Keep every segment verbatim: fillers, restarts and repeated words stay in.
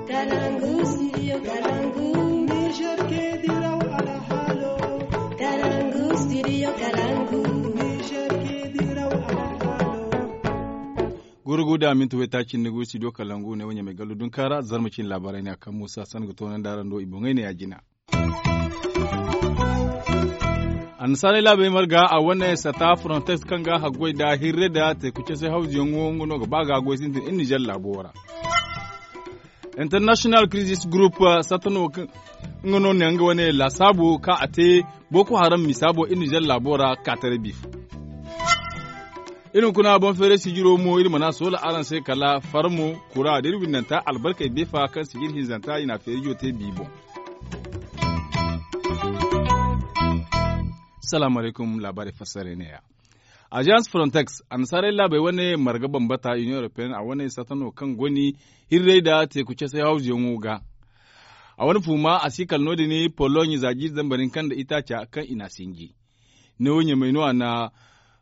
Kalangu, studio Kalangu. Niger ke diraw alhalo. Kalangu, studio Kalangu. Niger ke diraw alhalo. Gurgu da minti waytaaci ni ga wi studio Kalangu ne wo ɲamay gallu dunkaara zarma cine laabaarey ne a kaŋ muusa san ga toonandi araŋ do i boŋey ne ya jina. Annasaarey laabey marga a wane sata frontex kaŋ ga haggoy nda hirre nda teeku case hawzuyaŋo nga no ga ba ga goy sintin iri nizer laabo ra. International crisis group sata no nga no ne nga wane laasaabo kaŋ a te boko haram misa boŋ iri nizer laabo ra kaataray biifo. Iri hunkuna boŋ feeray sijiro mo iri mana soola araŋ se kala farmo kura da iri windanta albarkey beefa kaŋ sijir hinzanta i na feerijo te bi boŋ. Salaamu alaykum laabaarey fassarey neeya. Agence frontex annasaarey laabey wane marga bambata union européenne a wane sata no kaŋ goni hirrey nda teeku casey hawzuyaŋo ga. A wane fuuma a si kala no- din pologne za jiiri zambar hinka nda itaaca kaŋ i n'a sinji. Neewo ɲamay no a na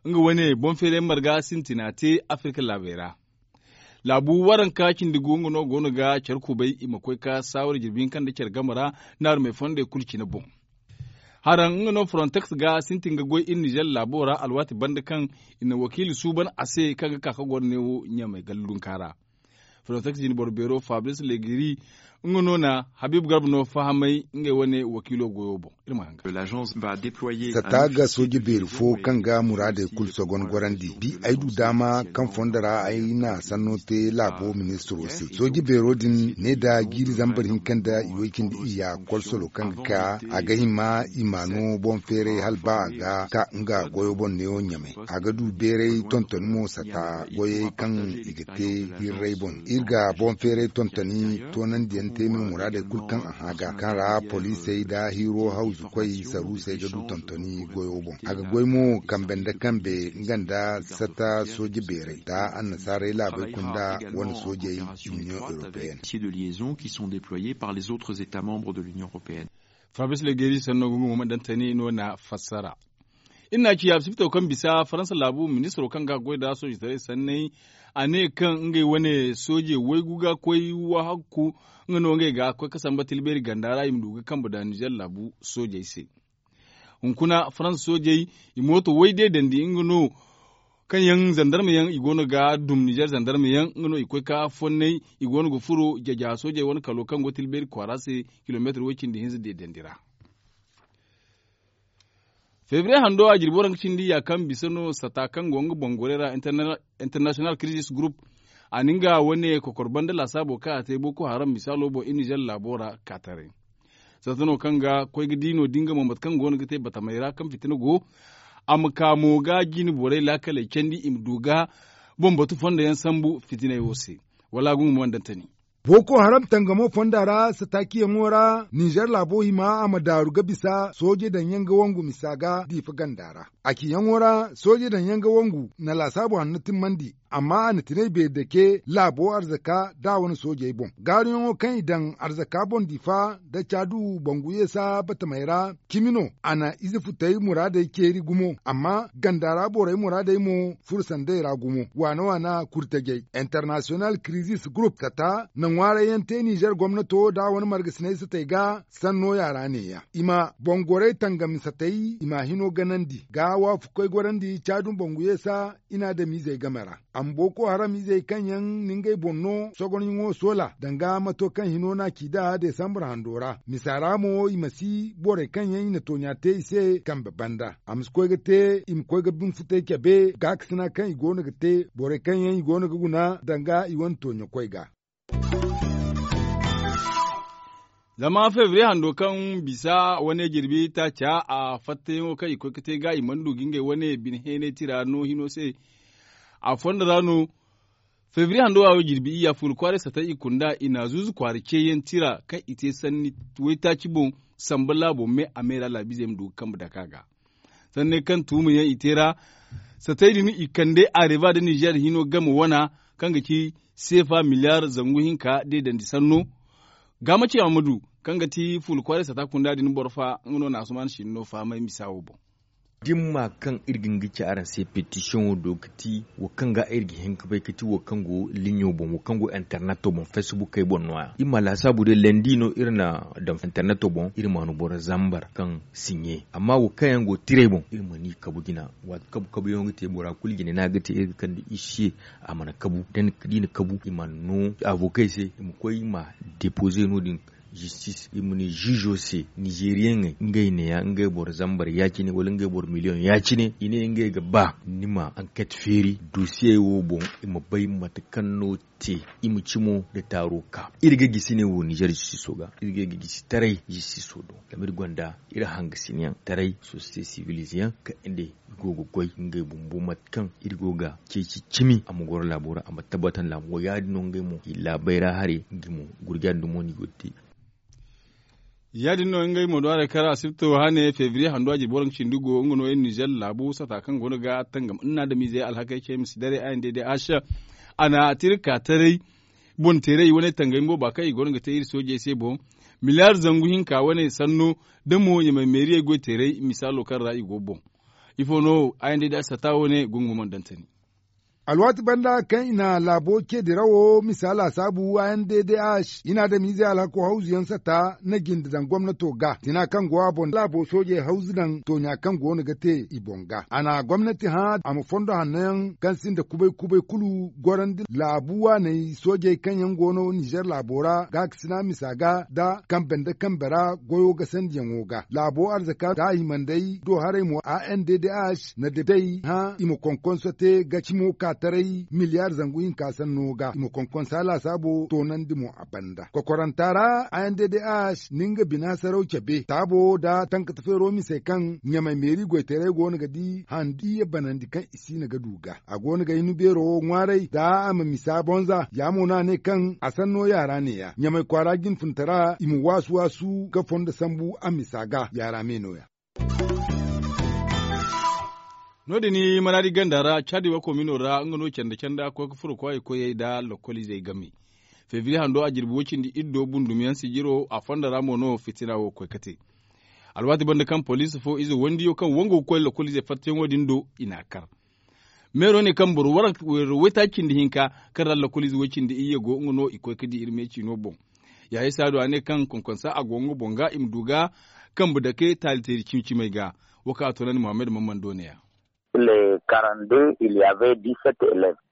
nga wane boŋ feeray marga sintina te afirka laabey ra. Laabu waranka cindi gu nga no go no ga care kubay i ma koy ka saawara jirbi hinka nda care game ra naarumey fondey kulu cine boŋ. Haraŋ nga no frontex ga sintin ga goy iri nizer laabo ra alwaati banda kaŋ i na wakiili suuban a se kaŋ ga ka ka goro neewo ɲamay gallunka ra. Frontex jine boro beero fabrice legeri nga no na habib garba no fahamay ngey wane wakiilo goyo boŋ. Iri ma hanga. Sata ga sooje beeri fo kaŋ ga muraadey kulu sogon gorandi bi ay du daama kaŋ fondo ra ay na sanno te laabo ministiro se sooje beero din ne nda jiiri zambar hinka nda i way cindi iyya kolsolo kaŋ ga ka a ga hima i ma no boŋ feeray hala ba a ga ka nga goyo boŋ neewo ɲamay a ga du beeray tontoni mo sata goyey kaŋ i ga te hirray boŋ iri ga boŋ feeray tontoni toonandiyaŋ te no muraadey kulu kaŋ a hã ga kaŋ ra poliisey nda hiiro hawzu koy saruusey ga du tontoni goyo boŋ a ga goy mo kambe nda kambe nga nda sata sooje beerey nda annasaarey laabey kunda wane soojey union européenne. Fabrice legeri sanno ga nga mo ma dantani no na fassara. Iri na ci a sibito kaŋ bisa faransa laabu ministiro kaŋ ga goy nda soojitaray sanney a ne kaŋ ngey wane sooje waygu ga koy wahakku nga no ngey ga koy ka samba tilbeeri ganda ra i ma du ga kambe nda nizer laabu soojey se. Hunkuna faransa soojey i mooto way deedandi nga no kaŋ yaŋ zandarma yaŋ i go no ga dum nizer zandarma yaŋ nga no i koy ka fonnay i go no ga furo jaja soojey wane kalo kaŋ go tilbeeri kwaara se kilomeetir way cindi hinza deedandi ra. Febriye hando a jirbi waranka cindi ya kaŋ bisa no sata kaŋ go nga boŋ gorey ra international crisis group a na nga wane kokor banda laasaabo kaŋ a te boko haram misaalo boŋ iri nizer laabo ra ka taray. Sata no kaŋ ga koy ga di no da nga mo mate kaŋ go no ga te batamey ra kaŋ fitina go a ma ka mo ga jine borey laakaley candi i ma du ga boŋ batu fondo yaŋ sambu fitiney wo se. Wala a ga nga mo ma dantani. Boko haram tangamo fonda ra satakiyaŋo ra nizer laabo hima a ma daaru ga bisa sooje daŋ yaŋ ga wangu misa ga diifa ganda ra a ciyaŋo ra sooje daŋ yaŋ ga wangu na laasaabo hanno timmandi amma a na tinay beeri dake laabo arzaka da a wane soojey boŋ gaaruyaŋo kaŋ i daŋ arzaka boŋ diifa da caadu bangu yeesa batamey ra cimi no a na ize futey muraadey ceeri gumo amma ganda ra borey muraadey mo furo sanday ra gumo waana waana kurtajey international crisis group sata na ŋwaarayyaŋ te nizer gomnato da a wane margasinay satey ga sanno yaara neeya i ma boŋ gorey tangami satey i ma hino ganandi ga waafukoy gorandi caadun bangu yeesa i na adamizey game ra a ma boko haram izey kaŋ yaŋ na ngey boŋ no sogonyaŋo soola danga mato kaŋ hino no a ci nd'a desambur hando ra misa ra mo i ma si borey kaŋ yaŋ i na tooɲa te i se kambe banda a ma si koy ga te i ma koy ga bine futey cabe gaakasina kaŋ i go no ga te borey kaŋ yaŋ i go no ga guna danga i wane tooɲakoy ga. Zama febriye hando kaŋ bisa wane jirbi taaca a fattayaŋo kaŋ i koy ga te ga i mana du ga ngey wane bine heenay tira no hino se a fondo ra no. Febriye hando a wo jirbi iyya fuula kwaaray sata i kunda i na zuuzu kwaara ceeyaŋ tira kaŋ i te sanni waytaaci boŋ samba laabo me a me ra laabizey ma du ga kambe dake a ga. Sanney kaŋ tuuma yaŋ i te ra satey din i kande areva da nizer hino game wana kaŋ ga ci seefa miliyar zangu hinka deedandi sanno. Gaamaci amadu kaŋ ga ti fuula kwaaray sata kunda din boro fa nga no na asuman sinno fahamay misa wo boŋ. Dimma kaŋ iri ga nga ci araŋ se petisiyoŋo do ga ti wo kaŋ ga iri ga hin ga bay ga ti wo kaŋ go liɲo boŋ wo kaŋ go interneto boŋ, fesbukey boŋ no- ya iri ma laasaabu day landi no iri na daŋ interneto boŋ iri ma no boro zambar kaŋ siɲe. Amma wo kaŋ yaŋ go tiray boŋ iri ma ni kabu jina. Waati kabu kabuyaŋo ga te bora kulu jine no a ga te iri ga kande iri se a mana kabu da i na kabu i mana no avokey se i ma koy i ma depoze no- din. Zistis i ma ne ziizo se nizeriyeŋey ngey neeya ngey boro zambar ya- cine wala ngey boro miliyoŋ ya- cine i ne ngey ga ba ni ma anket feeri dosiyey wo boŋ i ma bay mate kaŋ no te. I ma cimo nda taaro ka iri ga gisi ne wo nizer zistiso ga iri ga gisi taray zistiso do. Zama iri gonda iri hangasinayaŋ taray sosiyete sivilize yaŋ kaŋ iri go ga goy ngey bumbo mate kaŋ iri go ga ceeci cimi a ma goro laabo ra a ma tabbatan laabo ya- din no ngey mo i laabay ra haray. Ngey mo gurjandi mo no i go ga te. Ya- din no ngey mo do haray kaŋ ra asibto hane febriye hando a jirbi waranka cindi go nga no iri nizer laabo sata kaŋ go no ga tangam nna adamiizey alhakey ce ma si daray a n d d h. A na tirka taray boŋ teeray wane tangay mo ba kaŋ i go no ga te iri soojey se boŋ. Miliyaar zangu hinka wane sanno da mo ɲamay meeriyey goy teeray misaalo kaŋ ra i go boŋ. Ifo no a n d d h sata wane gungu mana dantani. Alwaati banda kaŋ i na laabo ce dirawo misa laasaabu a n d d h i na adamiizey alhako hawzu yaŋ sata na jinde daŋ gomnato ga tina kaŋ go a boŋ laabo soojey hawzu daŋ tooɲa kaŋ go no ga te i boŋ ga a na gomnati hã a ma fondo hanno yaŋ kaŋ sinda kubay kubay kulu gorandi laabu waaney soojey kaŋ yaŋ go no nizer laabo ra gaakasina misa ga nda kambe nda kambe ra goyo ga sandiyaŋo ga laabo arzaka nda a himandey do haray mo a n d d h na day hã i ma konkonso te ga cimo ka taray miliyaar zangu hinka sanno ga i ma konkonsa laasaabo toonandi mo a banda kokoranta ra a n d d h na nga bina saraw cabe taabo nda tankata feero misey kaŋ ɲamay meeri goytaray go no ga di handi iyye banandi kaŋ i siina ga du ga a go no ga hin beero wo ŋwaaray za a ma misa bonza ya mo no a ne kaŋ a sanno yaara neeya ɲamay kwaara jinfuntara i ma waasu waasu ga fondo sambu a misa ga yaara me nooya. No- din maraadi ganda ra caadi wako mino ra nga no canda canda koy ga furo kwaayey koyey nda lokoliizey game. Febriye hando a jirbi woy cindi iddo bundum yaŋ sijiro a fonda ra mo no fitina wo koy ga te. Alwaati banda kaŋ poliisi fo ize wandiyo kaŋ wangu ga koy lokoliizey fattayaŋo din do i n'a kar. Meero ne kaŋ boro waytaaci cindi hinka kaŋ ra lokoliize woy cindi iyye go nga no i koy ga di iri me ciino boŋ. Yaaye saadu a ne kaŋ konkonsa a go nga boŋ ga i ma du ga kambe dake taali teeri cimi cimey ga. Wo kaŋ a toonandi muhammad mammando ne- ya.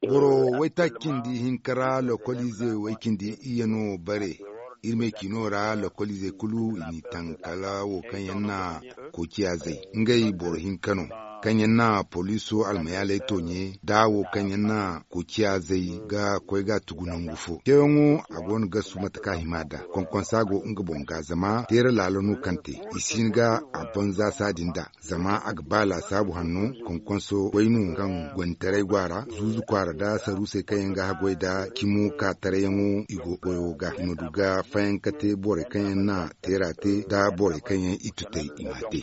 Boro waytaaci cindi hinka ra lokoliize way cindi iyye no bare. Iri me ciino ra lokoliizey kulu i n'i taŋ kala wo kaŋ yaŋ na koociya zay ngey boro hinka no kaŋ yaŋ na poliiso almayaaley tooɲe da wo kaŋ yaŋ na koociya zay ga koy ga a tugu nangu fo ceeyaŋo a go no ga su mate kaŋ a hima nd'a konkonsa go nga boŋ ga zama teera laalo no kaŋ te i si hin ga a banza saadi nd'a. Zama a ga ba laasaabu hanno konkonso wayno kaŋ goytaray go a ra zuuzu kwaara nda saruusey kaŋ yaŋ ga haggoy nda cimo ka tarayyaŋo i go goyo ga i ma du ga fayanka te borey kaŋ yaŋ na teera te nda borey kaŋ yaŋ i tutay i m'a te.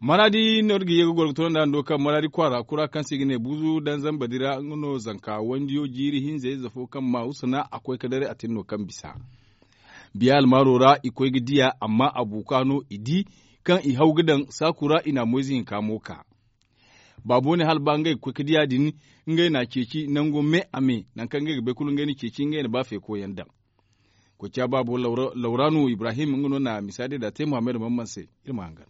Maraadi no iri ga ye ga goro ga toonandi hando kaŋ maraadi kwaara kura kaŋ se i ga ne buuzu daŋ zamba di ra nga no zanka wandiyo jiiri hinza ize fo kaŋ ma usana a koy ga daray a tin no kaŋ bisa. Biya almaaro ra i koy ga diya amma a buuka no i di kaŋ i haw ga daŋ saaku ra i na moyze hinka mo ka. Baabo ne hala ba ngey ga koy ga diya din ngey na a ceeci nango me a me nangu kaŋ ngey ga bay kulu ngey na ceeci ngey na ba feeko yaŋ daŋ. Koociya baabo lawra no ibrahim nga no na misa day da te muhammad mamman se. Iri ma hangan.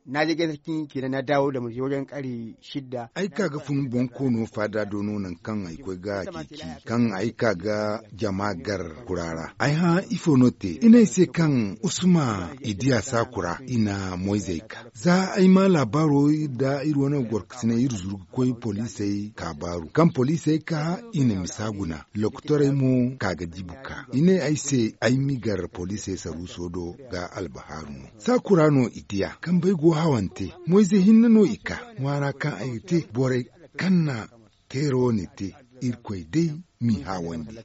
Na je gay sarki kenan na dawo da manje wajen kare shidda. Ay ka ga fun bonkoono faada do no nangu kaŋ ay koy ga ceeci kaŋ ay ka ga jama gar kura ra ay hã ifo no te i ne ay se kaŋ usma i diya saakura i na moyzey ka. Za ay ma laabaaro iri da iri wane gorkasinay iri zuru ga koy poliisey ka baaru kaŋ poliisey ka i na misa guna. Lokotorey mo ka ga dibu ka i ne ay se ay m'i gar poliisey saruuso do ga albahaaru no. Saakura no i diya kambey go hawante moyze hinne no i ka ŋwaara kaŋ ay ga te borey kaŋ na teera wane te. Irkoy day m'i haawandi.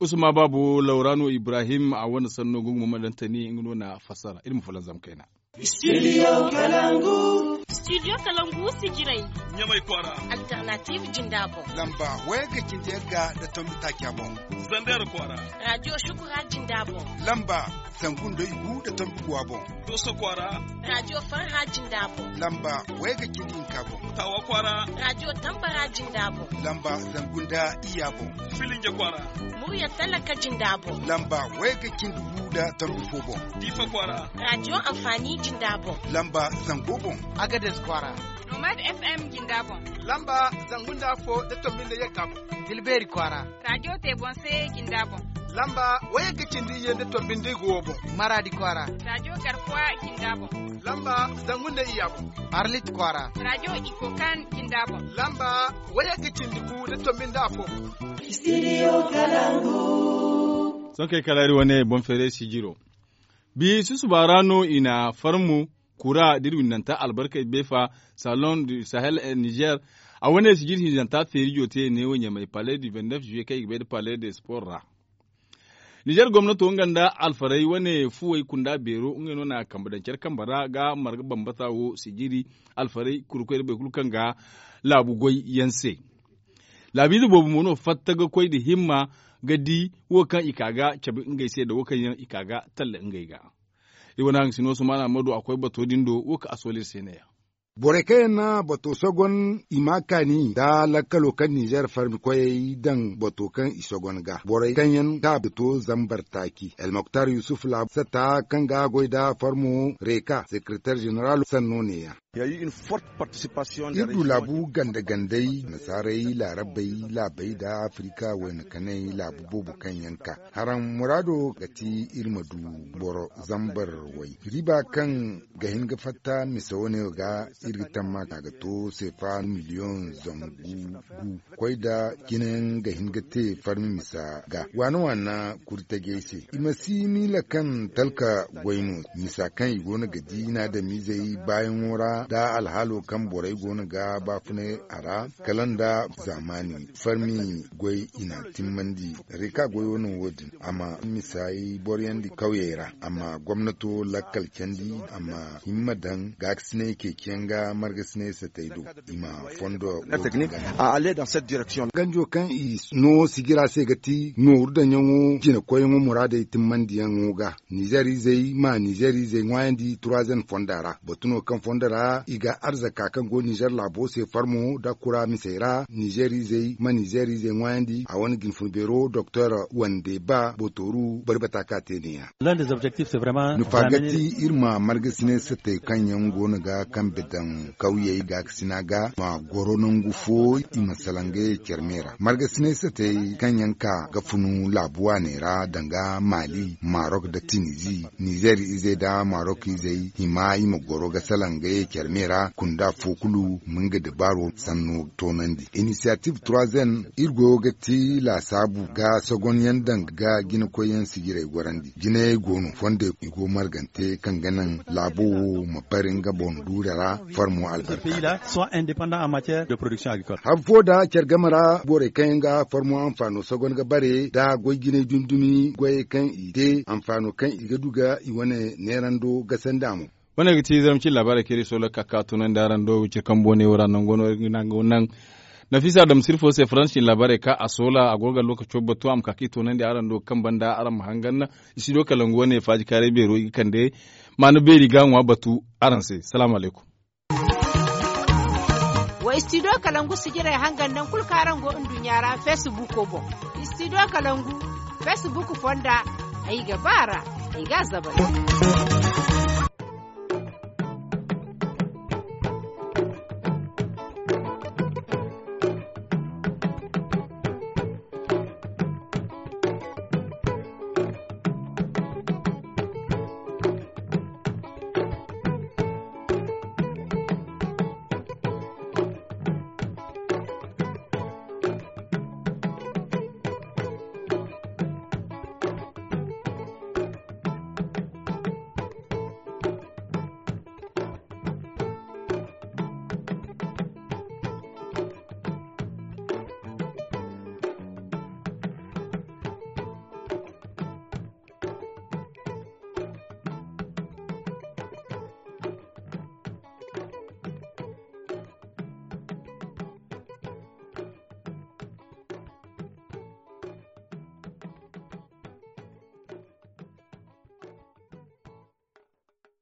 Usman baabu lawra no ibrahim a wane sanno gungu ma ma daŋ tani nga no na fassara iri ma fulanzam kayna. Studio kalangu. Studio kalangu sijirey. Ɲamay kwaara. Alternative jinda boŋ. Lamba wayagga cindi yagga nda tombi taaca boŋ. Zander kwaara. Radio shukura jinda boŋ. Lamba zangu nda igu nda tombi guwa boŋ. Doso kwaara. Radio farha jinda boŋ. Lamba wayagga cindi hinka boŋ. Tawa kwaara. Radio tambara jinda boŋ. Lamba zangu nda iyya boŋ. Filinja kwaara. Murya talaka jinda boŋ. Lamba wayagga cindi gu nda tombi fo boŋ. Difa kwaara. Radio amfani jinda boŋ. Lamba zango boŋ. Agades kwaara. Nomad FM jinda boŋ. Lamba zangu nda afo nda tombi nda yagga boŋ. Tilberi kwaara. Radio te boŋ se jinda boŋ. Lamba wayagga cindi iyye nda tombi nda igu wo boŋ. Maradi kwaara. Radio garkuwa jinda boŋ. Lamba zangu nda iyya boŋ. Arlit kwaara. Radio ikokan jinda boŋ. Lamba wayagga cindi gu nda tombi nda afo boŋ. Studio kalangu. Sohõ kaŋ ay kala iri wane boŋ feeray sijiro. Bi susuba ra no i na farmu kura da iri windanta albarkey beefa, salon du sahel, eh, niger. A wane sijir hinzanta feerijo te neewo ɲamay palais du vingt-neuf juillet kaŋ i ga bay nda palais de sport ra. Nizer gomnato nga nda alfarey wane fuwey kunda beero ngey no na kambe daŋ care kambe ra ga marga bambata wo sijiri alfarey kurkoy nda boro kulu kaŋ ga laabu goy yaŋ se. Laabiize boobo mo no fatta ga koy nda himma ga di wo kaŋ i ka ga cabe ngey se nda wo kaŋ yaŋ i ka ga talla ngey ga. Iri wane haŋ ga si no sumaana ma du a koy bato din do wo kaŋ a soole iri se ne- ya. Borey kaŋ yaŋ na bato sogon i ma a kaani nda lakkalo kaŋ ninzeer farmi koyey daŋ bato kaŋ i sogon ga borey kaŋ yaŋ ka bato zambar taaci almoktar yusuf laabu sata kaŋ ga goy nda farmo reeka sekereteer ženeral sanno neeya. Iri du laabu ganda-gandey nasaarey laarabey laabey nda afirika wayna kanay laabu boobo kaŋ yaŋ ka haraŋ muraado ga ti iri ma du boro zambar way riiba kaŋ ga hin ga fatta mise wane wo ga iri ga tamma ka ga to seefa miliyoŋ zangu gu koy nda jinayaŋ ga hin ga te farmi misa ga waana waana kuri tajey se i ma si miila kaŋ talka goy no misa kaŋ i go no ga di naadamiizey baayaŋo ra nda alhaalo kaŋ borey go no ga baafunay a ra kala nda zaamaani farmi goy i na timmandi reka goyo no wo-din a ma misaayi boroyandi kawyey ra a ma gomnato lakkal candi a ma himma daŋ gaakasinay ceeciyaŋ ga margasinay satay do i ma fondo. Ganjo kaŋ i no sijira se ga ti nooru daŋyaŋo jinakoyyaŋo muraadey timmandiyaŋo ga nizeer izey ma nizeer izey ŋwaayandi turaazen fonda ra batu no kaŋ fondo ra i ga arzaka kaŋ go nizeer laabo se farmo nda kura misey ra nizeer izey ma nizeer izey ŋwaayandi a wane jinfun beero doktor wande ba botooru bari bata ka te ne-ya. Nufa ga ti iri ma margasinay satay kaŋ yaŋ go no ga kambe daŋ kawyey gaakasina ga ma goro nangu fo i ma salaŋ ngey care me ra margasinay satay kaŋ yaŋ ka ga funu laabu waaney ra danga maali marok nda tinizi nizeer izey nda marok izey hima i ma goro ga salaŋ ngey care me ra kunda fo kulu ma nga dabaaro sanno toonandi inisiyatif trois n iri goyo ga ti laasaabu ga sogonyaŋ daŋ ga jinakoyyaŋ sijirey gorandi jinayey go no fondey i go margante kaŋ ga naŋ laabo wo ma bare nga boŋ duure ra farmo albarka. Hari fo nda care game ra borey kaŋ yaŋ ga farmo anfaano sogon ga bare nda goy jinay dumi-dumi goyey kaŋ i te anfaano kaŋ i ga du ga i wane neerando gasandi a mo. Wane ga ti zarma cine laabaarey kaŋ iri soola ga ka ga tunandi araŋ do wiciri kambo ne wo ra nango no iri ga naŋ nango naŋ. Nafiisa dam sirfo se faransa cine laabaarey ka a soola a go ga lookaco batu a ma ka ga i tunandi araŋ do kaŋ banda araŋ ma hangan. Studio kalangu wane faaji kaaray beero i ga kande maana beeri ga ŋwa batu araŋ se salaamu alaykum. Wa studio kalangu sijirey hangan naŋ kulu kaŋ araŋ go nduɲɲa ra facebook boŋ. Studio kalangu facebook fonda ay ga ba ra ay ga a zabari.